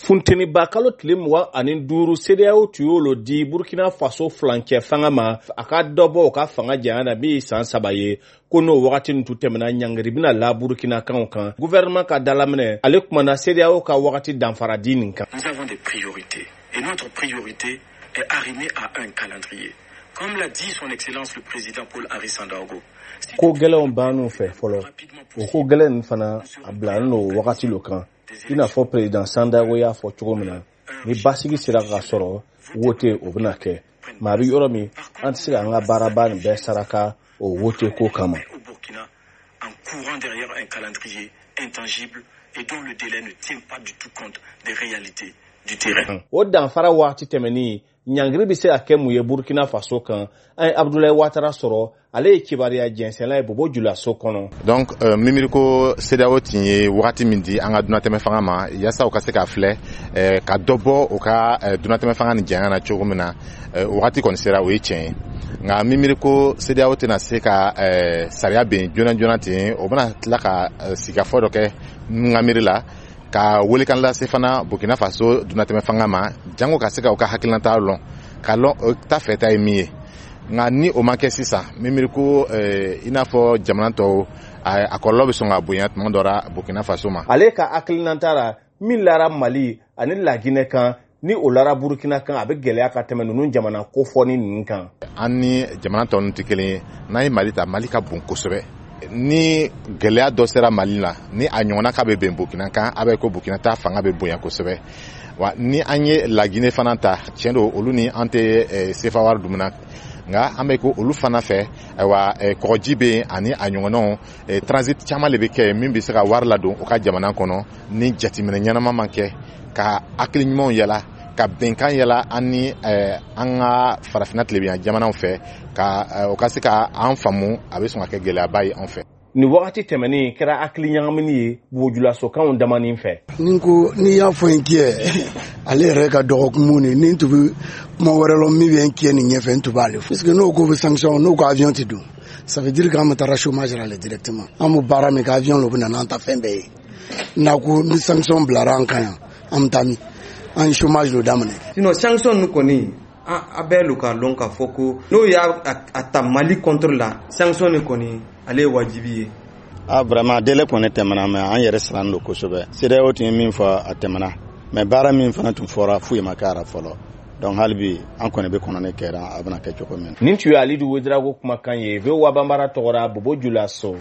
Funteniba kalo tile 25, CEDEAO tun y'o di Burkina Faso furancɛ fanga ma, a ka dɔ bɔ u ka fanga janya na min ye san 3 ye, ko n'o wagati nin tun tɛmɛna, ɲangiri bɛna la Burkinakaw kan. Gouvernement ka dalaminɛ, ale kumana CEDEAO ka wagati danfara di nin kan. Nous avons des priorités et notre priorité est arrimée à un calendrier. Comme l'a dit son excellence le président Paul-Henri Sandaogo. Ko gɛlɛnw b'an fɛ fɔlɔ, o ko gɛlɛn nin fana, a bilalen don wagati lo kan. I n'a fɔ président Sandaogo y'a fɔ cogo min na, ni basigi sera ka sɔrɔ, wote o bɛna kɛ. Mais a bɛ yɔrɔ min, an tɛ se k'an ka baaraba nin bɛɛ saraka o wote ko kama. Au Burkina, en courant derrière un calendrier intangible et dont le délai ne tient pas du tout compte des réalités du terrain. O danfara waati tɛmɛni, ɲangiri bɛ se ka kɛ mun ye Burkina Faso kan? An ye Abudulayi Watara sɔrɔ, ale ye kibaruya jɛnsɛnla ye Bobo Julaso kɔnɔ. Donc mimiri ko CEDEAO tun ye wagati min di an ka dunatɛmɛ fanga ma yaasa u ka se ka filɛ ka dɔ bɔ u ka dunatɛmɛ fanga ni janya na cogo min na, o wagati kɔni sera, o ye tiɲɛ ye. Nka mimiri ko CEDEAO tɛna se ka sariya ben joona joona ten, o bɛna tila ka sigikafɔ dɔ kɛ n ka miiri la, ka welekan lase fana Burkina Faso dunatɛmɛ fanga ma, jango ka se ka u ka hakilinata lɔn, ka lɔn ta fɛ ta ye min ye. Nka ni o ma kɛ sisan, mimiri ko i n'a fɔ jamana tɔw, a kɔlɔlɔ bɛ sɔn ka bonya tuma dɔ la Burkina Faso ma. Ale ka hakilinata la, min lara Mali ani Laginɛ kan, ni o lara Burkina kan, a bɛ gɛlɛya ka tɛmɛ ninnu jamana kofɔni ninnu kan. An ni jamana tɔ ninnu tɛ kelen ye. N'an ye Mali ta, Mali ka bon kosɛbɛ. Ni gɛlɛya dɔ sera Mali la, ni a ɲɔgɔnna k'a bɛ bɛn Burkina kan, a bɛ ko Burkina ta fanga bɛ bonya kosɛbɛ. Wa ni an ye Laginɛ fana ta, tiɲɛ don, olu ni an tɛ CFA wari dumuna, nka an bɛ ko olu fana fɛ, ayiwa, kɔgɔji bɛ yen ani a ɲɔgɔnnaw, transit caman de bɛ kɛ min bɛ se ka wari ladon u ka jamana kɔnɔ. Ni jateminɛ ɲɛnama ma kɛ, ka hakili ɲumanw yala, ka bɛnkan yala an ni an ka farafinna tilebenya jamanaw fɛ, ka o ka se ka an faamu, a bɛ sɔn ka kɛ gɛlɛyaba ye an fɛ. Nin wagati tɛmɛnen kɛra hakili ɲagamini ye bojulasokanw damani fɛ. Ni ko n'i y'a fɔ n kiyɛ, ale yɛrɛ ka dɔgɔkun ni ni tun bɛ kuma wɛrɛ lɔ min bɛ n kiyɛ nin ɲɛfɛ, n tun b'ale fɔ, parce que n'o ko bɛ sanction, n'o ko avion tɛ don, ça veut dire k'an bɛ taara chômage la directement. An bɛ baara min kɛ, avion lo bɛ na n'an ta fɛn bɛɛ ye. N'a ko ni sanction bilara an kan yan, an bɛ taa min? An ye chômage lo daminɛ. Sinon sanction ninnu kɔni, a bɛɛ lo k'a lɔn k'a fɔ ko n'o y'a a ta Mali contre la, sanction nin kɔni, ale ye wajibi ye. Ah, vraiment, délai kɔni tɛmɛna, mais an yɛrɛ siran don kosɛbɛ. CEDEAO tun ye min fɔ, a tɛmɛna, mais baara min fana tun fɔra, foyi ma kɛ a la fɔlɔ. Donc hali bi an kɔni bɛ kɔnɔni kɛra, a bɛna kɛ cogo min. Nin tun ye Alidu Wedirago kumakan ye, VOA Banbara tɔgɔra, Bobo Julaso.